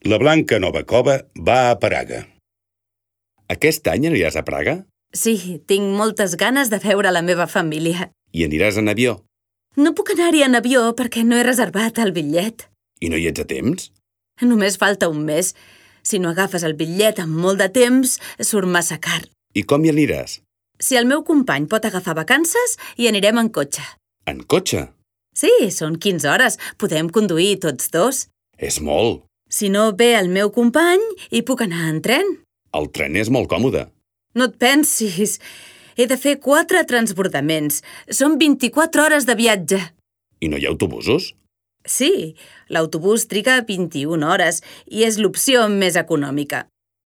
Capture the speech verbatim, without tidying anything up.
La Blanca Novakova va a Praga. Aquest any aniràs a Praga? Sí, tinc moltes ganes de veure la meva família. I aniràs en avió? No puc anar-hi en avió perquè no he reservat el bitllet. I no hi ets a temps? Només falta un mes. Si no agafes el bitllet amb molt de temps, surt massa car. I com hi aniràs? Si el meu company pot agafar vacances, hi anirem en cotxe. En cotxe? Sí, són quinze hores. Podem conduir tots dos. És molt. Si no ve el meu company, hi puc anar en tren. El tren és molt còmode. No et pensis. He de fer quatre transbordaments. Són vint-i-quatre hores de viatge. I no hi ha autobusos? Sí, l'autobús triga vint-i-una hores i és l'opció més econòmica.